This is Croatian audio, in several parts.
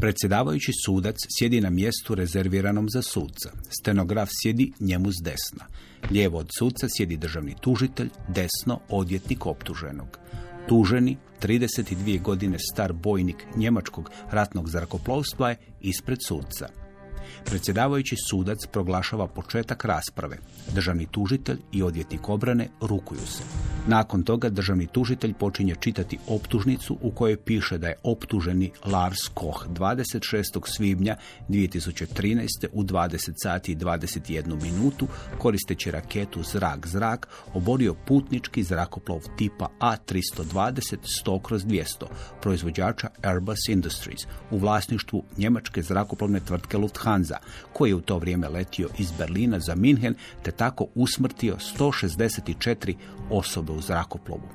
Predsjedavajući sudac sjedi na mjestu rezerviranom za suca. Stenograf sjedi njemu s desna. Lijevo od suca sjedi državni tužitelj, desno odvjetnik optuženog. Tuženi, 32 godine star bojnik njemačkog ratnog zrakoplovstva je ispred suca. Predsjedavajući sudac proglašava početak rasprave. Državni tužitelj i odvjetnik obrane rukuju se. Nakon toga državni tužitelj počinje čitati optužnicu u kojoj piše da je optuženi Lars Koch 26. svibnja 2013. u 20 sati i 21 minutu koristeći raketu zrak-zrak oborio putnički zrakoplov tipa A320 100/200 proizvođača Airbus Industries u vlasništvu njemačke zrakoplovne tvrtke Lufthansa, koji je u to vrijeme letio iz Berlina za Minhen te tako usmrtio 164 osobe u zrakoplovu.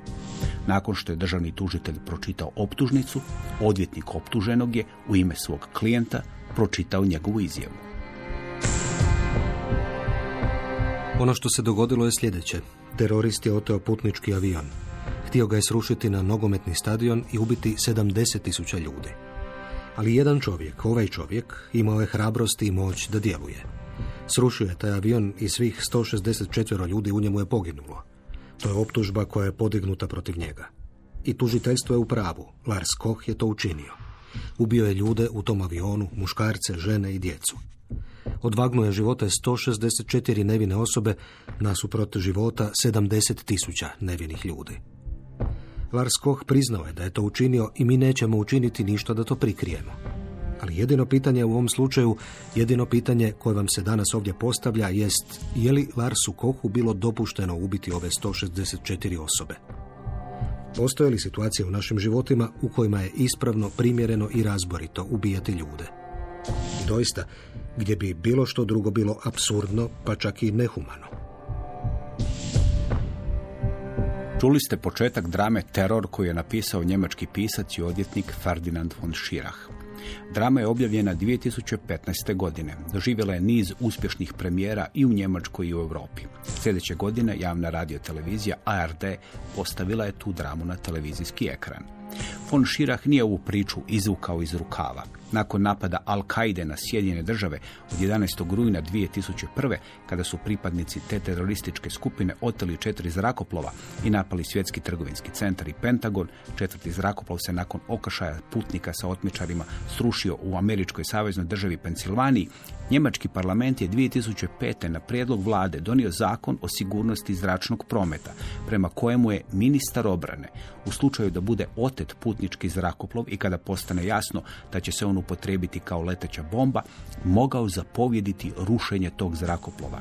Nakon što je državni tužitelj pročitao optužnicu, odvjetnik optuženog je u ime svog klijenta pročitao njegovu izjavu. Ono što se dogodilo je sljedeće. Terorist je oteo putnički avion. Htio ga je srušiti na nogometni stadion i ubiti 70.000 ljudi. Ali jedan čovjek, ovaj čovjek, imao je hrabrost i moć da djeluje. Srušio je taj avion i svih 164 ljudi u njemu je poginulo. To je optužba koja je podignuta protiv njega. I tužiteljstvo je u pravu. Lars Koch je to učinio. Ubio je ljude u tom avionu, muškarce, žene i djecu. Odvagnuo je živote 164 nevine osobe nasuprot života 70.000 nevinih ljudi. Lars Koch priznao je da je to učinio i mi nećemo učiniti ništa da to prikrijemo. Ali jedino pitanje u ovom slučaju, jedino pitanje koje vam se danas ovdje postavlja jest je li Larsu Kochu bilo dopušteno ubiti ove 164 osobe? Postoje li situacije u našim životima u kojima je ispravno, primjereno i razborito ubijati ljude? I doista, gdje bi bilo što drugo bilo apsurdno, pa čak i nehumano. Čuli ste početak drame Teror koju je napisao njemački pisac i odvjetnik Ferdinand von Schirach. Drama je objavljena 2015. godine. Doživjela je niz uspješnih premijera i u Njemačkoj i u Europi. Sljedeće godine javna radiotelevizija ARD postavila je tu dramu na televizijski ekran. Von Schirach nije ovu priču izvukao iz rukava. Nakon napada Al-Kaide na Sjedinjene Države od 11. rujna 2001. kada su pripadnici te terorističke skupine oteli 4 zrakoplova i napali svjetski trgovinski centar i Pentagon, 4. zrakoplov se nakon okršaja putnika sa otmičarima srušio u američkoj saveznoj državi Pensilvaniji, njemački parlament je 2005. na prijedlog vlade donio zakon o sigurnosti zračnog prometa, prema kojemu je ministar obrane u slučaju da bude otet putnički zrakoplov i kada postane jasno da će se on upotrijebiti kao leteća bomba, mogao zapovjediti rušenje tog zrakoplova.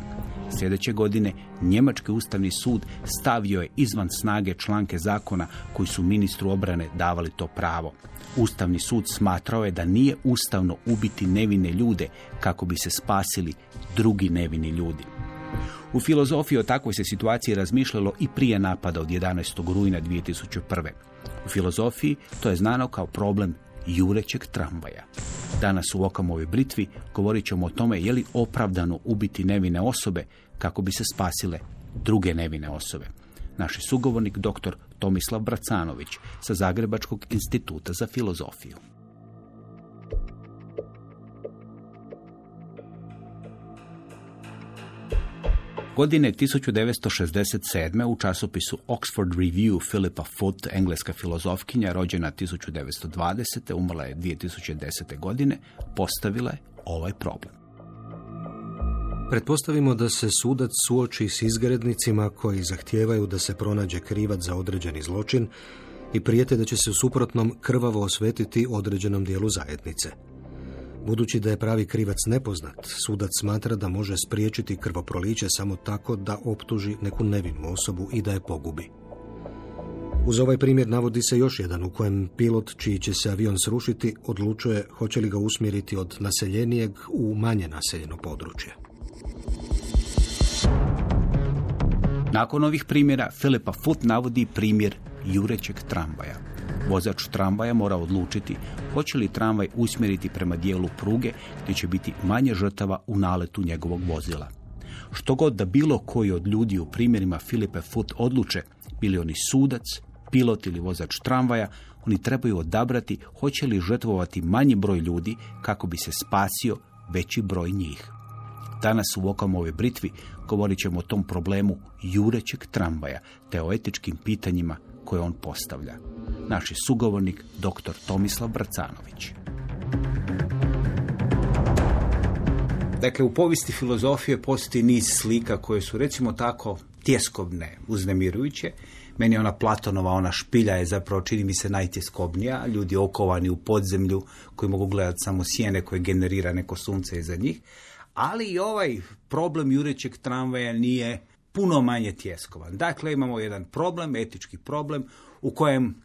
Sljedeće godine njemački ustavni sud stavio je izvan snage članke zakona koji su ministru obrane davali to pravo. Ustavni sud smatrao je da nije ustavno ubiti nevine ljude kako bi se spasili drugi nevini ljudi. U filozofiji o takvoj se situaciji razmišljalo i prije napada od 11. rujna 2001. U filozofiji to je znano kao problem jurećeg tramvaja. Danas u Okamovoj britvi govorit ćemo o tome je li opravdano ubiti nevine osobe kako bi se spasile druge nevine osobe. Naš je sugovornik dr. Tomislav Bracanović sa Zagrebačkog instituta za filozofiju. Godine 1967. u časopisu Oxford Review Philippa Foot, engleska filozofkinja rođena 1920. umrla je 2010. godine, postavila je ovaj problem. Pretpostavimo da se sudac suoči s izgrednicima koji zahtijevaju da se pronađe krivac za određeni zločin i prijete da će se u suprotnom krvavo osvetiti određenom dijelu zajednice. Budući da je pravi krivac nepoznat, sudac smatra da može spriječiti krvoproliće samo tako da optuži neku nevinu osobu i da je pogubi. Uz ovaj primjer navodi se još jedan u kojem pilot čiji će se avion srušiti odlučuje hoće li ga usmjeriti od naseljenijeg u manje naseljeno područje. Nakon ovih primjera Philippa Foot navodi primjer jurećeg tramvaja. Vozač tramvaja mora odlučiti hoće li tramvaj usmjeriti prema dijelu pruge gdje će biti manje žrtava u naletu njegovog vozila. Što god da bilo koji od ljudi u primjerima Philippa Foot odluče, bili oni sudac pilot ili vozač tramvaja, oni trebaju odabrati hoće li žrtvovati manji broj ljudi kako bi se spasio veći broj njih. Danas u Okamovoj britvi govorit ćemo o tom problemu jurećeg tramvaja te o etičkim pitanjima koje on postavlja. Naš je sugovornik dr. Tomislav Bracanović. Dakle, u povijesti filozofije postoji niz slika koje su, recimo tako, tjeskobne, uznemirujuće. Meni ona Platonova, ona špilja je zapravo, čini mi se, najtjeskobnija. Ljudi okovani u podzemlju koji mogu gledati samo sjene koje generira neko sunce iza njih. Ali i ovaj problem jurećeg tramvaja nije puno manje tjeskovan. Dakle, imamo jedan problem, etički problem, u kojem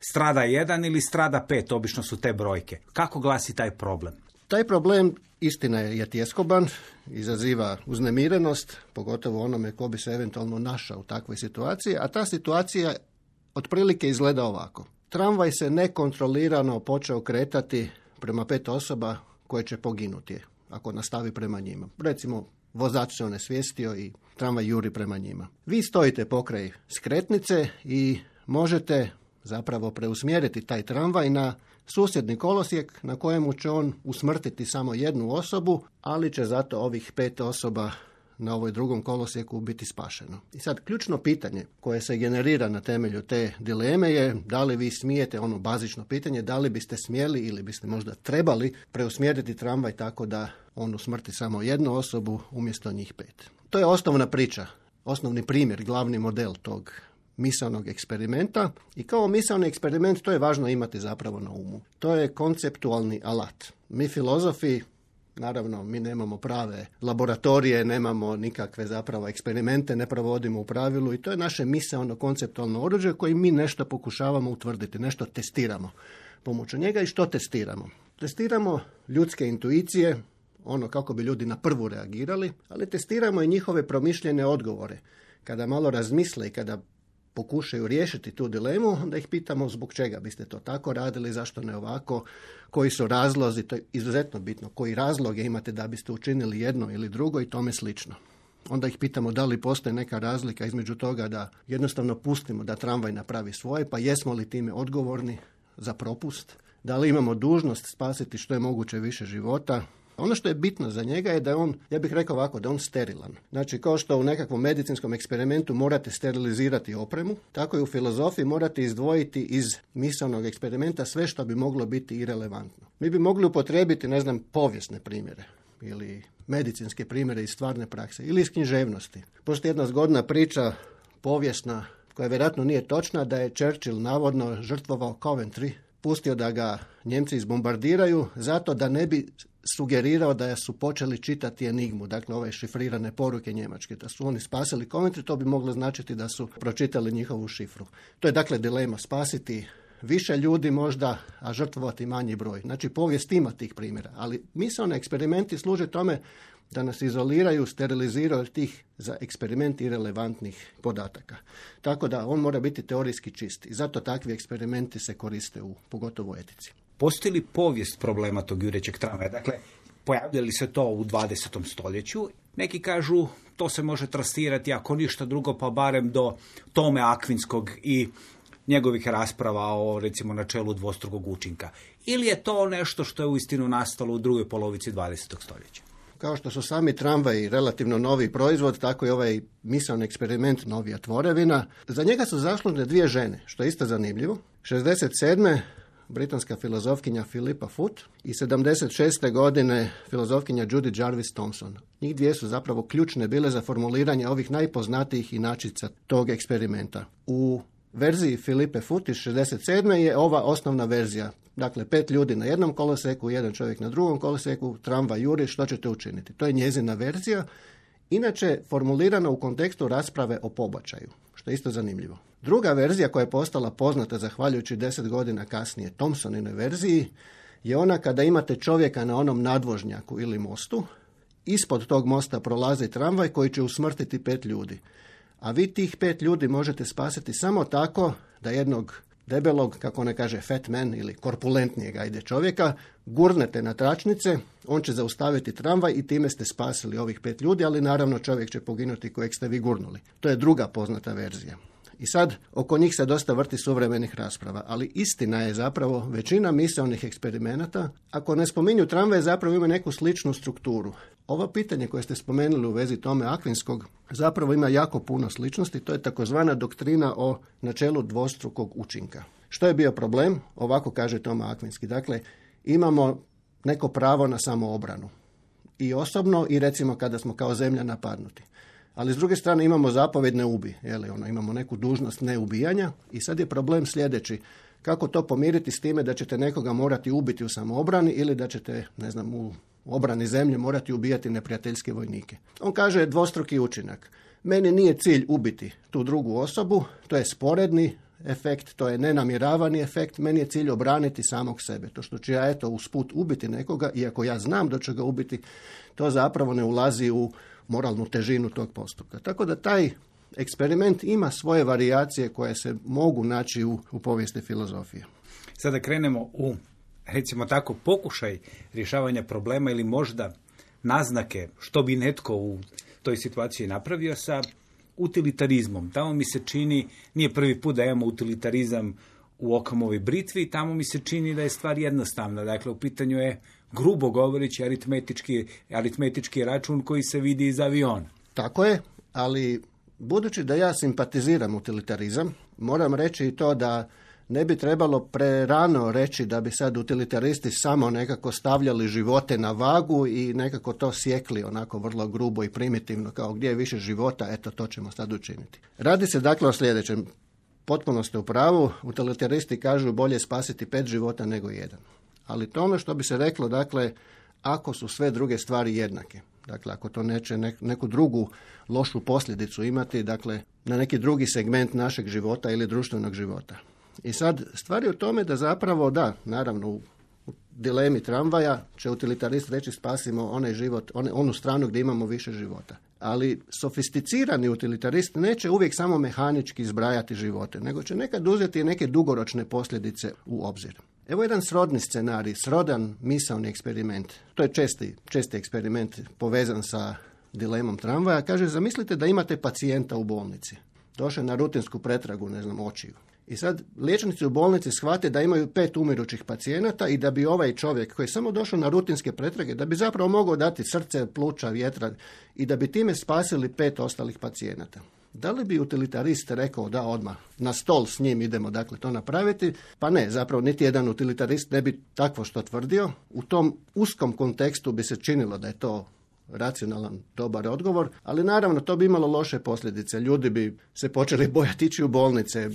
strada 1 ili strada 5, obično su te brojke. Kako glasi taj problem? Taj problem, istina je tjeskoban, izaziva uznemirenost, pogotovo onome ko bi se eventualno našao u takvoj situaciji, a ta situacija otprilike izgleda ovako. Tramvaj se nekontrolirano počeo kretati prema 5 osoba koje će poginuti ako nastavi prema njima. Recimo, vozač se onesvijestio i tramvaj juri prema njima. Vi stojite pokraj skretnice i možete zapravo preusmjeriti taj tramvaj na susjedni kolosijek na kojemu će on usmrtiti samo jednu osobu, ali će zato ovih 5 osoba na ovoj drugom kolosijeku biti spašeno. I sad ključno pitanje koje se generira na temelju te dileme je da li vi smijete, ono bazično pitanje, da li biste smjeli ili biste možda trebali preusmjeriti tramvaj tako da on usmrti samo jednu osobu umjesto njih 5. To je osnovna priča, osnovni primjer, glavni model tog misaonog eksperimenta i kao misaoni eksperiment to je važno imati zapravo na umu. To je konceptualni alat. Mi filozofi, naravno, mi nemamo prave laboratorije, nemamo nikakve zapravo eksperimente, ne provodimo u pravilu i to je naše misaono konceptualno oruđe koje mi nešto pokušavamo utvrditi, nešto testiramo pomoću njega. I što testiramo? Testiramo ljudske intuicije, ono kako bi ljudi na prvu reagirali, ali testiramo i njihove promišljene odgovore. Kada malo razmisle i kada pokušaju riješiti tu dilemu, onda ih pitamo zbog čega biste to tako radili, zašto ne ovako, koji su razlozi, to je izuzetno bitno, koji razloge imate da biste učinili jedno ili drugo i tome slično. Onda ih pitamo da li postoji neka razlika između toga da jednostavno pustimo da tramvaj napravi svoje, pa jesmo li time odgovorni za propust, da li imamo dužnost spasiti što je moguće više života. Ono što je bitno za njega je da je on, ja bih rekao ovako, da je on sterilan. Znači, kao što u nekakvom medicinskom eksperimentu morate sterilizirati opremu, tako i u filozofiji morate izdvojiti iz misaonog eksperimenta sve što bi moglo biti irelevantno. Mi bi mogli upotrijebiti, povijesne primjere ili medicinske primjere iz stvarne prakse ili iz književnosti. Postoji jedna zgodna priča povijesna koja vjerojatno nije točna, da je Churchill navodno žrtvovao Coventry, pustio da ga Njemci izbombardiraju zato da ne bi sugerirao da su počeli čitati enigmu, dakle ove šifrirane poruke njemačke, da su oni spasili Coventry, to bi moglo značiti da su pročitali njihovu šifru. To je dakle dilema, spasiti više ljudi možda, a žrtvovati manji broj. Znači povijest ima tih primjera, ali misaoni eksperimenti služe tome da nas izoliraju, steriliziraju tih za eksperiment irelevantnih podataka. Tako da on mora biti teorijski čist i zato takvi eksperimenti se koriste pogotovo u etici. Postoji li povijest problema tog jurećeg tramvaja? Dakle, pojavljali se to u 20. stoljeću? Neki kažu to se može trasirati, ako ništa drugo, pa barem do Tome Akvinskog i njegovih rasprava o, recimo, načelu dvostrukog učinka. Ili je to nešto što je uistinu nastalo u drugoj polovici 20. stoljeća? Kao što su sami tramvaji relativno novi proizvod, tako i ovaj misaoni eksperiment novija tvorevina. Za njega su zaslužne 2 žene, što je isto zanimljivo. 67. britanska filozofkinja Philippa Foot i 76. godine filozofkinja Judith Jarvis Thomson. Njih 2 su zapravo ključne bile za formuliranje ovih najpoznatijih inačica tog eksperimenta. U verziji Philippe Foot iz 67. je ova osnovna verzija. Dakle, 5 ljudi na jednom koloseku, 1 čovjek na drugom koloseku, tramvaj juri, što ćete učiniti? To je njezina verzija, inače formulirana u kontekstu rasprave o pobačaju, što je isto zanimljivo. Druga verzija koja je postala poznata zahvaljujući 10 godina kasnije Thomsoninoj verziji je ona kada imate čovjeka na onom nadvožnjaku ili mostu, ispod tog mosta prolazi tramvaj koji će usmrtiti 5 ljudi. A vi tih 5 ljudi možete spasiti samo tako da jednog debelog, kako ne kaže fat man ili korpulentnijeg čovjeka, gurnete na tračnice, on će zaustaviti tramvaj i time ste spasili ovih 5 ljudi, ali naravno čovjek će poginuti kojeg ste vi gurnuli. To je druga poznata verzija. I sad oko njih se dosta vrti suvremenih rasprava, ali istina je zapravo većina misaonih eksperimenata, ako ne spominju tramvaje, zapravo ima neku sličnu strukturu. Ovo pitanje koje ste spomenuli u vezi Tome Akvinskog zapravo ima jako puno sličnosti, to je takozvana doktrina o načelu dvostrukog učinka. Što je bio problem? Ovako kaže Toma Akvinski. Dakle, imamo neko pravo na samoobranu. I osobno i recimo kada smo kao zemlja napadnuti. Ali s druge strane imamo zapovjed ne ubi. Imamo neku dužnost neubijanja i sad je problem sljedeći. Kako to pomiriti s time da ćete nekoga morati ubiti u samoobrani ili da ćete, u obrani zemlje morati ubijati neprijateljske vojnike. On kaže dvostruki učinak. Meni nije cilj ubiti tu drugu osobu, to je sporedni efekt, to je nenamjeravani efekt, meni je cilj obraniti samog sebe. To što ću ja usput ubiti nekoga, iako ja znam da ću ga ubiti, to zapravo ne ulazi u moralnu težinu tog postupka. Tako da taj eksperiment ima svoje varijacije koje se mogu naći u povijesti filozofije. Sada krenemo u, recimo tako, pokušaj rješavanja problema ili možda naznake što bi netko u toj situaciji napravio sa utilitarizmom. Tamo mi se čini, nije prvi put da imamo utilitarizam u Okamovoj britvi, tamo mi se čini da je stvar jednostavna. Dakle, u pitanju je, grubo govoreći, aritmetički račun koji se vidi iz aviona. Tako je, ali budući da ja simpatiziram utilitarizam, moram reći i to da ne bi trebalo prerano reći da bi sad utilitaristi samo nekako stavljali živote na vagu i nekako to sjekli onako vrlo grubo i primitivno, kao gdje je više života, eto to ćemo sad učiniti. Radi se dakle o sljedećem. Potpuno ste u pravu, utilitaristi kažu bolje spasiti 5 života nego 1. Ali to ono što bi se reklo, dakle, ako su sve druge stvari jednake. Dakle, ako to neće neku drugu lošu posljedicu imati, dakle, na neki drugi segment našeg života ili društvenog života. I sad, stvar je u tome da zapravo, da, naravno, u dilemi tramvaja će utilitarist reći spasimo onaj život, onu stranu gdje imamo više života. Ali sofisticirani utilitarist neće uvijek samo mehanički zbrajati živote, nego će nekad uzeti neke dugoročne posljedice u obzir. Evo jedan srodni scenarij, srodan misaoni eksperiment. To je česti eksperiment povezan sa dilemom tramvaja. Kaže, zamislite da imate pacijenta u bolnici. Došao na rutinsku pretragu, očiju. I sad liječnici u bolnici shvate da imaju 5 umirućih pacijenata i da bi ovaj čovjek koji je samo došao na rutinske pretrage, da bi zapravo mogao dati srce, pluća, vjetra i da bi time spasili 5 ostalih pacijenata. Da li bi utilitarist rekao da odmah na stol s njim idemo dakle to napraviti? Pa ne, zapravo niti jedan utilitarist ne bi takvo što tvrdio. U tom uskom kontekstu bi se činilo da je to racionalan, dobar odgovor, ali naravno to bi imalo loše posljedice. Ljudi bi se počeli bojati ići u bolnice.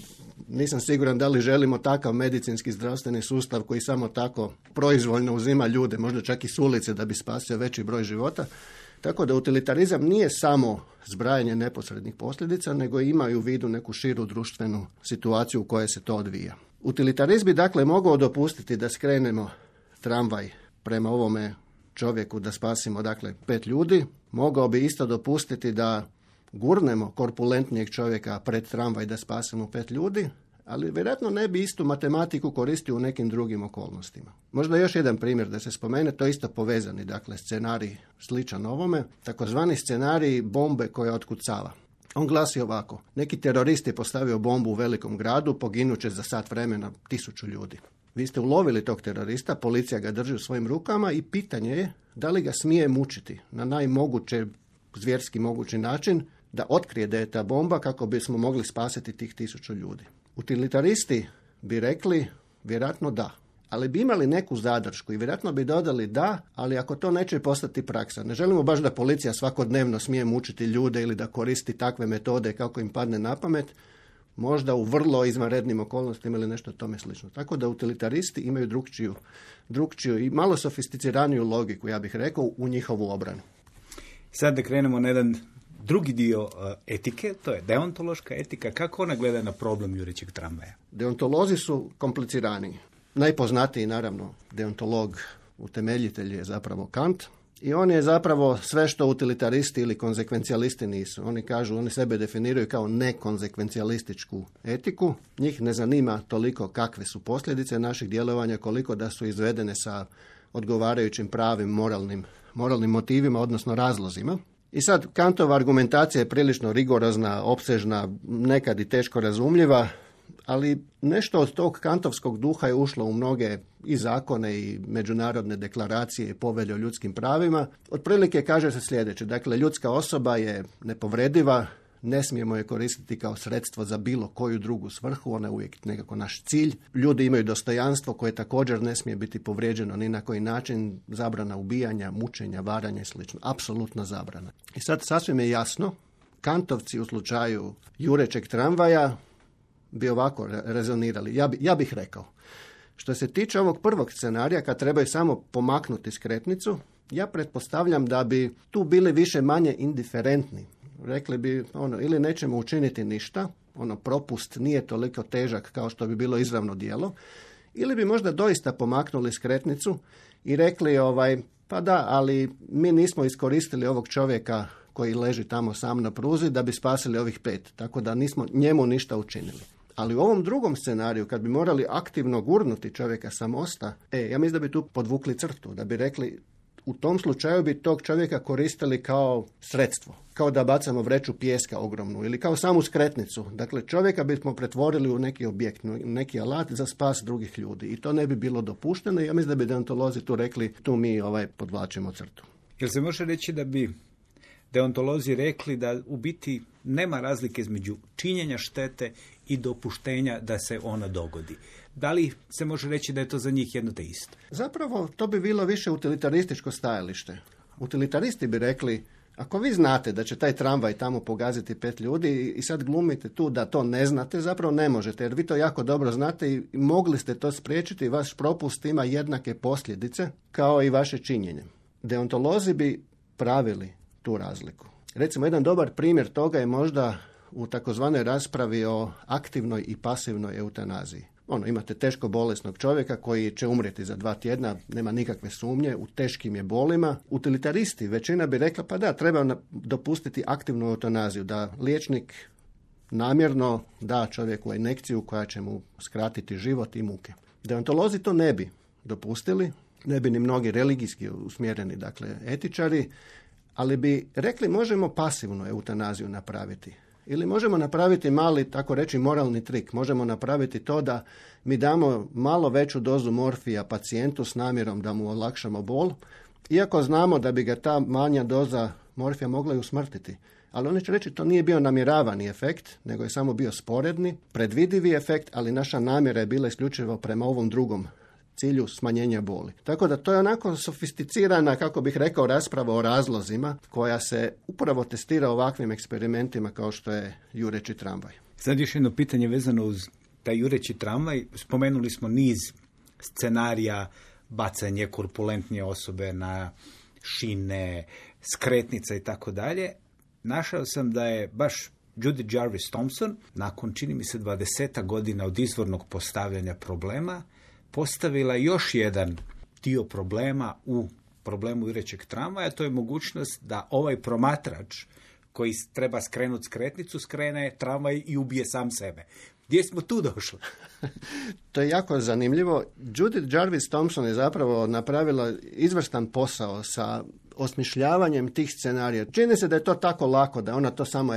Nisam siguran da li želimo takav medicinski zdravstveni sustav koji samo tako proizvoljno uzima ljude, možda čak i s ulice da bi spasio veći broj života. Tako da utilitarizam nije samo zbrajanje neposrednih posljedica, nego ima i u vidu neku širu društvenu situaciju u kojoj se to odvija. Utilitarizam bi dakle mogao dopustiti da skrenemo tramvaj prema ovome čovjeku da spasimo dakle 5 ljudi, mogao bi isto dopustiti da gurnemo korpulentnijeg čovjeka pred tramvaj da spasimo 5 ljudi, ali vjerojatno ne bi istu matematiku koristio u nekim drugim okolnostima. Možda još jedan primjer da se spomene, to je isto povezani, dakle scenarij sličan ovome, takozvani scenarij bombe koja otkucava. On glasi ovako, neki terorist je postavio bombu u velikom gradu, poginuće za sat vremena 1000 ljudi. Vi ste ulovili tog terorista, policija ga drži u svojim rukama i pitanje je da li ga smije mučiti na najmoguće, zvjerski mogući način, da otkrije da je ta bomba kako bismo mogli spasiti tih 1000 ljudi. Utilitaristi bi rekli vjerojatno da, ali bi imali neku zadršku i vjerojatno bi dodali da, ali ako to neće postati praksa. Ne želimo baš da policija svakodnevno smije mučiti ljude ili da koristi takve metode kako im padne na pamet, možda u vrlo izvanrednim okolnostima ili nešto tome slično. Tako da utilitaristi imaju drukčiju i malo sofisticiraniju logiku, ja bih rekao, u njihovu obranu. Sad da krenemo na jedan drugi dio etike, to je deontološka etika. Kako ona gleda na problem jurećeg tramvaja? Deontolozi su kompliciraniji. Najpoznatiji, naravno, deontolog, utemeljitelj je zapravo Kant. I on je zapravo sve što utilitaristi ili konzekvencijalisti nisu. Oni kažu, oni sebe definiraju kao nekonzekvencijalističku etiku. Njih ne zanima toliko kakve su posljedice naših djelovanja, koliko da su izvedene sa odgovarajućim pravim moralnim motivima, odnosno razlozima. I sad Kantova argumentacija je prilično rigorozna, opsežna, nekad i teško razumljiva, ali nešto od tog kantovskog duha je ušlo u mnoge i zakone i međunarodne deklaracije i povelje o ljudskim pravima. Otprilike kaže se sljedeće, dakle ljudska osoba je nepovrediva, ne smijemo je koristiti kao sredstvo za bilo koju drugu svrhu, ona je uvijek nekako naš cilj. Ljudi imaju dostojanstvo koje također ne smije biti povrijeđeno ni na koji način, zabrana ubijanja, mučenja, varanja i sl. Apsolutna zabrana. I sad sasvim je jasno, Kantovci u slučaju jurećeg tramvaja bi ovako rezonirali. Ja bih rekao, što se tiče ovog prvog scenarija, kad trebaju samo pomaknuti skretnicu, ja pretpostavljam da bi tu bili više manje indiferentni. Rekli bi, ili nećemo učiniti ništa, propust nije toliko težak kao što bi bilo izravno djelo, ili bi možda doista pomaknuli skretnicu i rekli, pa da, ali mi nismo iskoristili ovog čovjeka koji leži tamo sam na pruzi da bi spasili ovih 5, tako da nismo njemu ništa učinili. Ali u ovom drugom scenariju, kad bi morali aktivno gurnuti čovjeka sa mosta, ja mislim da bi tu podvukli crtu, da bi rekli, u tom slučaju bi tog čovjeka koristili kao sredstvo, kao da bacamo vreću pijeska ogromnu ili kao samu skretnicu. Dakle, čovjeka bismo pretvorili u neki objekt, neki alat za spas drugih ljudi i to ne bi bilo dopušteno i ja mislim da bi deontolozi tu rekli, tu mi podvlačimo crtu. Jel se može reći da bi deontolozi rekli da u biti nema razlike između činjenja štete i dopuštenja da se ona dogodi? Da li se može reći da je to za njih jedno te isto? Zapravo, to bi bilo više utilitarističko stajalište. Utilitaristi bi rekli, ako vi znate da će taj tramvaj tamo pogaziti 5 ljudi i sad glumite tu da to ne znate, zapravo ne možete, jer vi to jako dobro znate i mogli ste to spriječiti i vaš propust ima jednake posljedice kao i vaše činjenje. Deontolozi bi pravili tu razliku. Recimo, jedan dobar primjer toga je možda u takozvanoj raspravi o aktivnoj i pasivnoj eutanaziji. Imate teško bolesnog čovjeka koji će umrijeti za 2 tjedna, nema nikakve sumnje, u teškim je bolima. Utilitaristi, većina bi rekla, pa da, treba dopustiti aktivnu eutanaziju, da liječnik namjerno da čovjeku injekciju koja će mu skratiti život i muke. Deontolozi to ne bi dopustili, ne bi ni mnogi religijski usmjereni, dakle etičari, ali bi rekli možemo pasivnu eutanaziju napraviti. Ili možemo napraviti mali, tako reći, moralni trik. Možemo napraviti to da mi damo malo veću dozu morfija pacijentu s namjerom da mu olakšamo bol, iako znamo da bi ga ta manja doza morfija mogla i usmrtiti. Ali oni će reći to nije bio namjeravani efekt, nego je samo bio sporedni, predvidivi efekt, ali naša namjera je bila isključivo prema ovom drugom cilju smanjenja boli. Tako da to je onako sofisticirana, kako bih rekao, rasprava o razlozima koja se upravo testira ovakvim eksperimentima kao što je jureći tramvaj. Sad još jedno pitanje vezano uz taj jureći tramvaj. Spomenuli smo niz scenarija, bacanje korpulentnije osobe na šine, skretnica i tako dalje. Našao sam da je baš Judith Jarvis Thompson, nakon čini mi se 20 godina od izvornog postavljanja problema, postavila još jedan dio problema u problemu jurećeg tramvaja, to je mogućnost da ovaj promatrač koji treba skrenuti skretnicu, skrene tramvaj i ubije sam sebe. Gdje smo tu došli? To je jako zanimljivo. Judith Jarvis Thompson je zapravo napravila izvrstan posao sa osmišljavanjem tih scenarija. Čini se da je to tako lako, da ona to samo,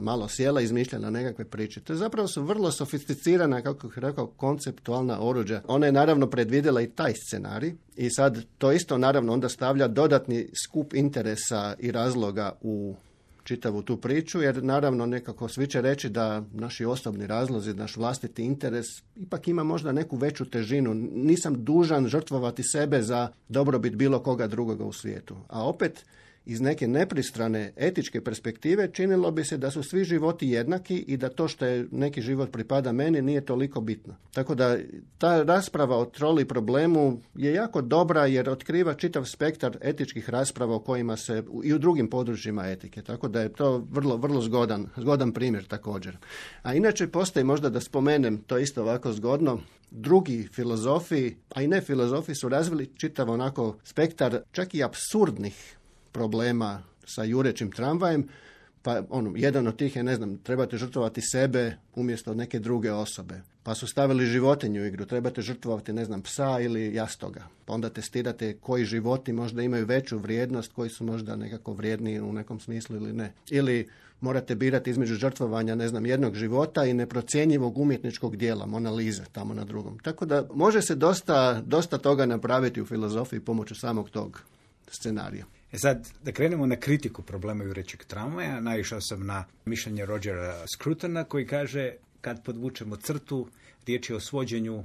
malo sjela i izmišljala nekakve priče. To je zapravo su vrlo sofisticirana, kako bih rekao, konceptualna oruđa. Ona je naravno predvidjela i taj scenarij i sad to isto naravno onda stavlja dodatni skup interesa i razloga u čitavu tu priču, jer naravno nekako svi će reći da naši osobni razlozi, naš vlastiti interes ipak ima možda neku veću težinu. Nisam dužan žrtvovati sebe za dobrobit bilo koga drugoga u svijetu. A opet, iz neke nepristrane etičke perspektive činilo bi se da su svi životi jednaki i da to što je neki život pripada meni nije toliko bitno. Tako da ta rasprava o troli problemu je jako dobra jer otkriva čitav spektar etičkih rasprava o kojima se i u drugim područjima etike. Tako da je to vrlo, vrlo zgodan primjer također. A inače postoji, možda da spomenem, to isto ovako zgodno, drugi filozofi, a i ne filozofi, su razvili čitav onako spektar čak i apsurdnih problema sa jurećim tramvajem, Pa jedan od tih je, trebate žrtvovati sebe umjesto neke druge osobe. Pa su stavili životinju u igru, trebate žrtvovati, psa ili jastoga. Pa onda testirate koji životi možda imaju veću vrijednost, koji su možda nekako vrijedniji u nekom smislu ili ne. Ili morate birati između žrtvovanja, jednog života i neprocjenjivog umjetničkog dijela, Mona Lise, tamo na drugom. Tako da može se dosta toga napraviti u filozofiji pomoću samog tog scenarija. Sad, da krenemo na kritiku problema jurećeg tramvaja, naišao sam na mišljenje Rogera Scrutona koji kaže, kad podvučemo crtu, riječ je o svođenju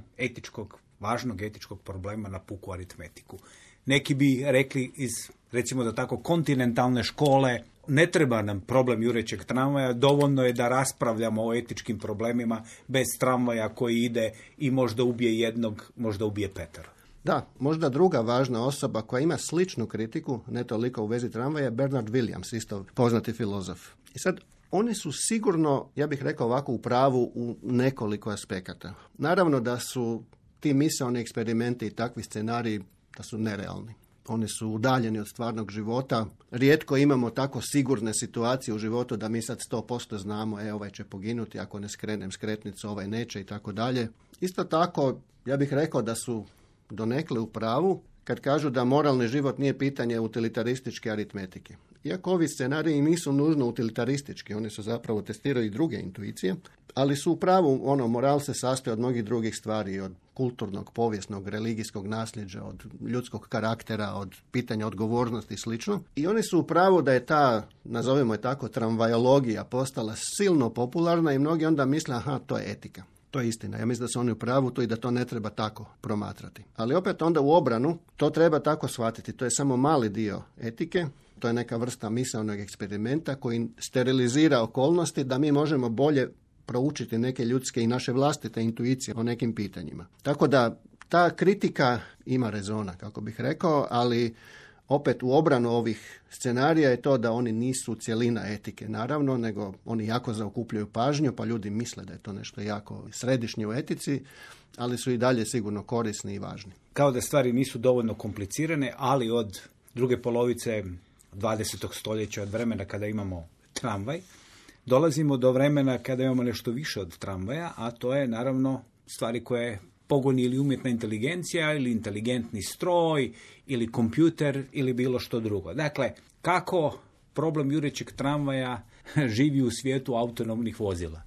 važnog etičkog problema na puku aritmetiku. Neki bi rekli iz, recimo da tako, kontinentalne škole, ne treba nam problem jurećeg tramvaja, dovoljno je da raspravljamo o etičkim problemima bez tramvaja koji ide i možda ubije jednog, možda ubije petero. Da, možda druga važna osoba koja ima sličnu kritiku, ne toliko u vezi tramvaja, je Bernard Williams, isto poznati filozof. I sad, oni su sigurno, ja bih rekao ovako, u pravu u nekoliko aspekata. Naravno da su ti misaoni eksperimenti i takvi scenariji da su nerealni. Oni su udaljeni od stvarnog života. Rijetko imamo tako sigurne situacije u životu da mi sad 100% znamo, ovaj će poginuti, ako ne skrenem skretnicu, ovaj neće i tako dalje. Isto tako, ja bih rekao da su donekle u pravu kad kažu da moralni život nije pitanje utilitarističke aritmetike. Iako ovi scenariji nisu nužno utilitaristički, oni su zapravo testiraju i druge intuicije, ali su u pravu, moral se sastoji od mnogih drugih stvari, od kulturnog, povijesnog, religijskog nasljeđa, od ljudskog karaktera, od pitanja odgovornosti i slično. I oni su u pravu da je ta, nazovimo je tako, tramvajologija postala silno popularna i mnogi onda misle, to je etika. To je istina. Ja mislim da su oni u pravu to i da to ne treba tako promatrati. Ali opet onda u obranu to treba tako shvatiti. To je samo mali dio etike. To je neka vrsta misaonog eksperimenta koji sterilizira okolnosti da mi možemo bolje proučiti neke ljudske i naše vlastite intuicije o nekim pitanjima. Tako da ta kritika ima rezona, kako bih rekao, ali opet u obranu ovih scenarija je to da oni nisu cjelina etike, naravno, nego oni jako zaokupljaju pažnju, pa ljudi misle da je to nešto jako središnje u etici, ali su i dalje sigurno korisni i važni. Kao da stvari nisu dovoljno komplicirane, ali od druge polovice 20. stoljeća, od vremena kada imamo tramvaj, dolazimo do vremena kada imamo nešto više od tramvaja, a to je naravno stvari koje pogoni ili umjetna inteligencija, ili inteligentni stroj, ili kompjuter, ili bilo što drugo. Dakle, kako problem jurećeg tramvaja živi u svijetu autonomnih vozila?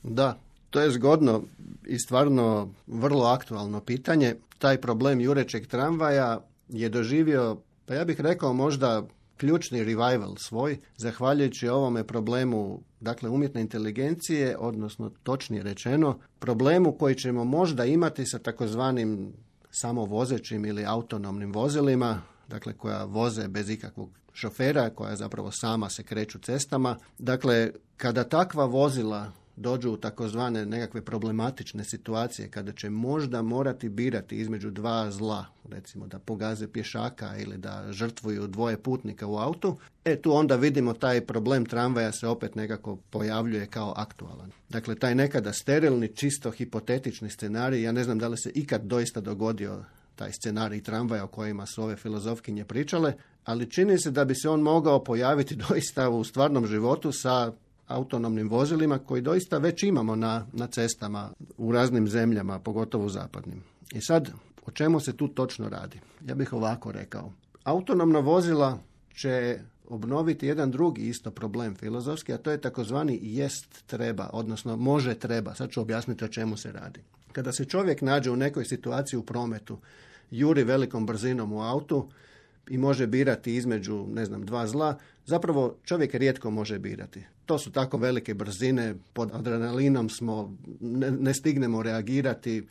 Da, to je zgodno i stvarno vrlo aktualno pitanje. Taj problem jurećeg tramvaja je doživio, pa ja bih rekao možda ključni revival svoj, zahvaljujući ovome problemu, dakle, umjetne inteligencije, odnosno točnije rečeno, problemu koji ćemo možda imati sa takozvanim samovozećim ili autonomnim vozilima, dakle, koja voze bez ikakvog šofera, koja zapravo sama se kreću cestama. Dakle, kada takva vozila dođu u takozvane nekakve problematične situacije, kada će možda morati birati između dva zla, recimo da pogaze pješaka ili da žrtvuju dvoje putnika u autu, tu onda vidimo taj problem tramvaja se opet nekako pojavljuje kao aktualan. Dakle, taj nekada sterilni, čisto hipotetični scenarij, ja ne znam da li se ikad doista dogodio taj scenarij tramvaja o kojima su ove filozofkinje pričale, ali čini se da bi se on mogao pojaviti doista u stvarnom životu sa autonomnim vozilima koji doista već imamo na cestama u raznim zemljama, pogotovo u zapadnim. I sad, o čemu se tu točno radi? Ja bih ovako rekao. Autonomna vozila će obnoviti jedan drugi isto problem filozofski, a to je takozvani jest treba, odnosno može treba. Sad ću objasniti o čemu se radi. Kada se čovjek nađe u nekoj situaciji u prometu, juri velikom brzinom u autu i može birati između, dva zla, zapravo čovjek rijetko može birati. To su tako velike brzine, pod adrenalinom smo, ne stignemo reagirati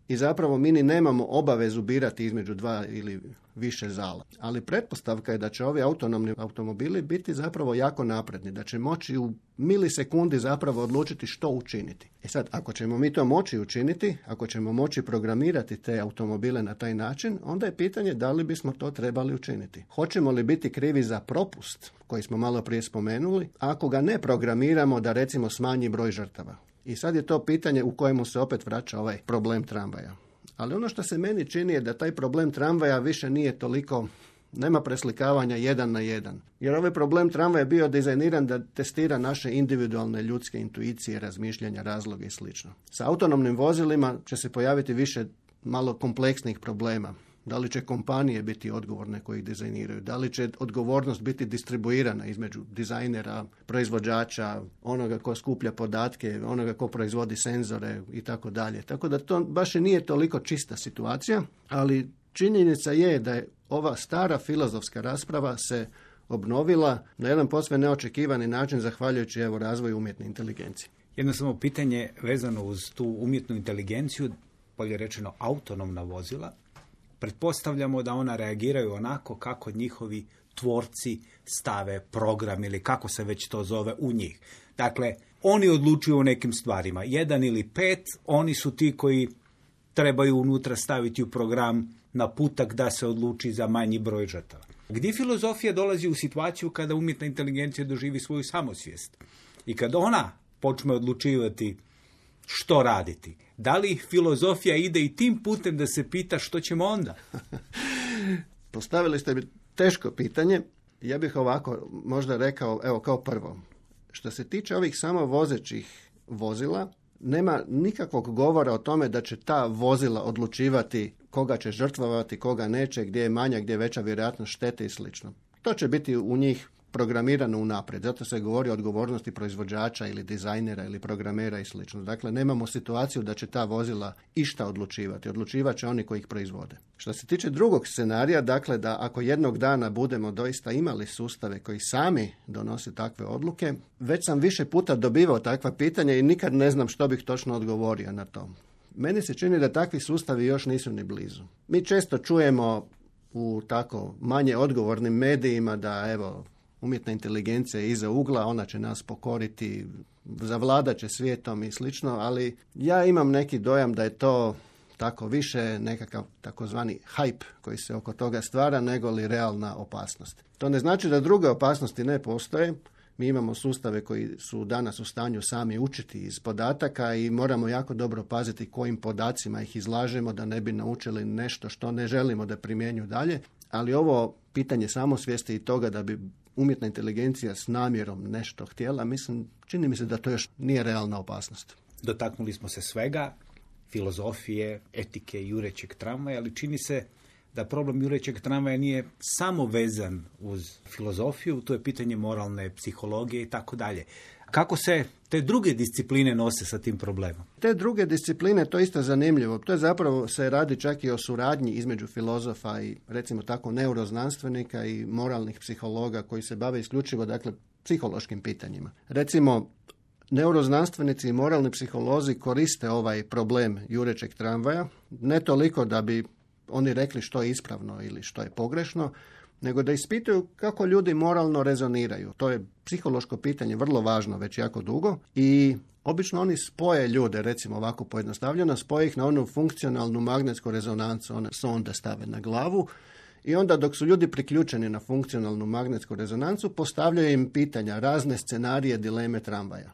i zapravo mi ni nemamo obavezu birati između dva ili više zala. Ali pretpostavka je da će ovi autonomni automobili biti zapravo jako napredni, da će moći u milisekundi zapravo odlučiti što učiniti. Sad, ako ćemo mi to moći učiniti, ako ćemo moći programirati te automobile na taj način, onda je pitanje da li bismo to trebali učiniti. Hoćemo li biti krivi za propust koji smo malo prije spomenuli, ako ga ne programiramo da recimo smanji broj žrtava. I sad je to pitanje u kojemu se opet vraća ovaj problem tramvaja. Ali ono što se meni čini je da taj problem tramvaja više nije toliko Nema preslikavanja 1 na 1. Jer ovaj problem tramvaja je bio dizajniran da testira naše individualne ljudske intuicije, razmišljanja, razloga i sl. Sa autonomnim vozilima će se pojaviti više malo kompleksnih problema. Da li će kompanije biti odgovorne koji ih dizajniraju? Da li će odgovornost biti distribuirana između dizajnera, proizvođača, onoga ko skuplja podatke, onoga ko proizvodi senzore i tako dalje. Tako da to baš i nije toliko čista situacija, ali činjenica je da je ova stara filozofska rasprava se obnovila na jedan posve neočekivani način zahvaljujući razvoju umjetne inteligencije. Jedno samo pitanje vezano uz tu umjetnu inteligenciju, bolje rečeno autonomna vozila. Pretpostavljamo da ona reagiraju onako kako njihovi tvorci stave program ili kako se već to zove u njih. Dakle, oni odlučuju o nekim stvarima. 1 ili 5, oni su ti koji trebaju unutra staviti u program naputak da se odluči za manji broj žrtava. Gdje filozofija dolazi u situaciju kada umjetna inteligencija doživi svoju samosvijest i kada ona počne odlučivati što raditi? Da li filozofija ide i tim putem da se pita što ćemo onda? Postavili ste mi teško pitanje. Ja bih ovako možda rekao, evo kao prvo. Što se tiče ovih samovozećih vozila, nema nikakvog govora o tome da će ta vozila odlučivati koga će žrtvovati, koga neće, gdje je manja, gdje je veća vjerojatnost štete i sl. To će biti u njih programirano unaprijed. Zato se govori o odgovornosti proizvođača ili dizajnera ili programera i sl. Dakle, nemamo situaciju da će ta vozila išta odlučivati. Odlučivat će oni koji ih proizvode. Što se tiče drugog scenarija, dakle da ako jednog dana budemo doista imali sustave koji sami donose takve odluke, već sam više puta dobivao takva pitanja i nikad ne znam što bih točno odgovorio na to. Meni se čini da takvi sustavi još nisu ni blizu. Mi često čujemo u tako manje odgovornim medijima da umjetna inteligencija je iza ugla, ona će nas pokoriti, zavladat će svijetom i slično, ali ja imam neki dojam da je to tako više nekakav takozvani hype koji se oko toga stvara nego li realna opasnost. To ne znači da druge opasnosti ne postoje. Mi imamo sustave koji su danas u stanju sami učiti iz podataka i moramo jako dobro paziti kojim podacima ih izlažemo da ne bi naučili nešto što ne želimo da primjenju dalje. Ali ovo pitanje samosvijesti i toga da bi umjetna inteligencija s namjerom nešto htjela, čini mi se da to još nije realna opasnost. Dotaknuli smo se svega, filozofije, etike, jurećeg tramvaja, ali čini se da problem jurećeg tramvaja nije samo vezan uz filozofiju, to je pitanje moralne psihologije i tako dalje. Kako se te druge discipline nose sa tim problemom? Te druge discipline, to je isto zanimljivo. To je zapravo se radi čak i o suradnji između filozofa i recimo tako neuroznanstvenika i moralnih psihologa koji se bave isključivo psihološkim pitanjima. Recimo, neuroznanstvenici i moralni psiholozi koriste ovaj problem jurećeg tramvaja, ne toliko da bi oni rekli što je ispravno ili što je pogrešno, nego da ispituju kako ljudi moralno rezoniraju. To je psihološko pitanje, vrlo važno već jako dugo i obično oni spoje ljude, recimo ovako pojednostavljeno, spoje ih na onu funkcionalnu magnetsku rezonancu, one sonde stave na glavu i onda dok su ljudi priključeni na funkcionalnu magnetsku rezonancu postavljaju im pitanja, razne scenarije, dileme tramvaja.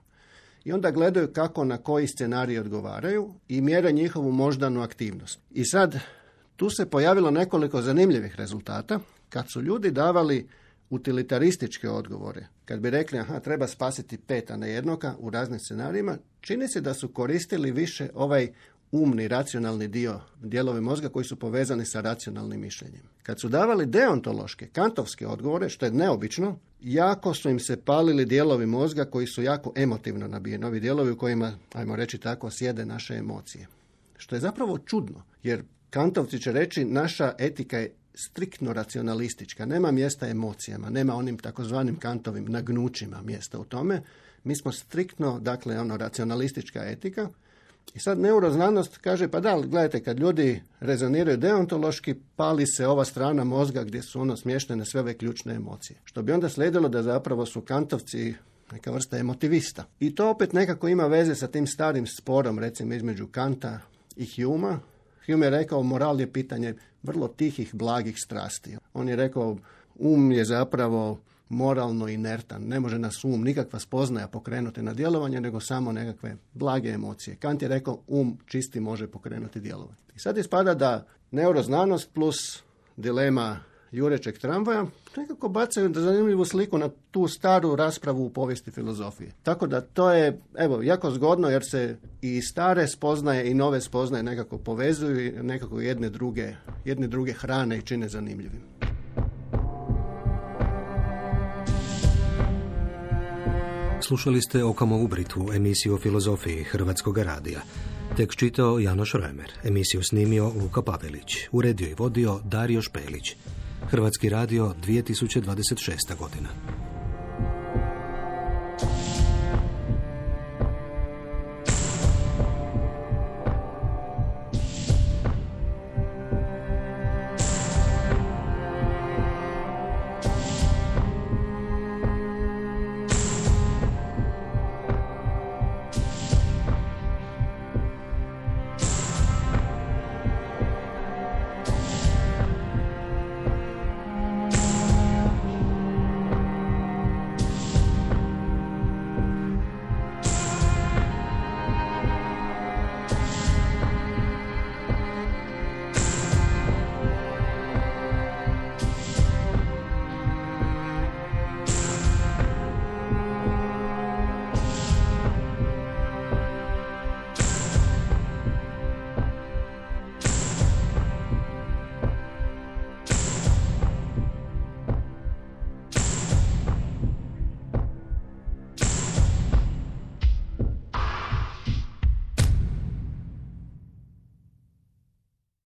I onda gledaju kako na koji scenarij odgovaraju i mjere njihovu moždanu aktivnost. I sad tu se pojavilo nekoliko zanimljivih rezultata. Kad su ljudi davali utilitarističke odgovore, kad bi rekli treba spasiti 5, a ne jednoga u raznim scenarijima, čini se da su koristili više ovaj umni, racionalni dijelovi mozga koji su povezani sa racionalnim mišljenjem. Kad su davali deontološke, kantovske odgovore, što je neobično, jako su im se palili dijelovi mozga koji su jako emotivno nabijeni, ovi dijelovi u kojima, ajmo reći tako, sjede naše emocije. Što je zapravo čudno, jer kantovci će reći naša etika je striktno racionalistička, nema mjesta emocijama, nema onim takozvanim Kantovim nagnućima mjesta u tome. Mi smo striktno, racionalistička etika. I sad neuroznanost kaže, pa da, gledajte, kad ljudi rezoniraju deontološki, pali se ova strana mozga gdje su smještene sve ove ključne emocije. Što bi onda slijedilo da zapravo su kantovci neka vrsta emotivista. I to opet nekako ima veze sa tim starim sporom, recimo između Kanta i Humea. Hume je rekao, moral je pitanje vrlo tihih, blagih strasti. On je rekao, je zapravo moralno inertan. Ne može nas nikakva spoznaja pokrenuti na djelovanje, nego samo nekakve blage emocije. Kant je rekao, čisti može pokrenuti djelovanje. I sad ispada da neuroznanost plus dilema jurećeg tramvaja, nekako bacaju zanimljivu sliku na tu staru raspravu u povijesti filozofije. Tako da to je, evo, jako zgodno jer se i stare spoznaje i nove spoznaje nekako povezuju i nekako jedne druge hrane i čine zanimljivim. Slušali ste Okamo Ubritvu, emisiju o filozofiji Hrvatskog radija. Tekst čitao Janoš Rojmer, emisiju snimio Luka Pavelić, uredio i vodio Dario Špelić. Hrvatski radio 2026. godina.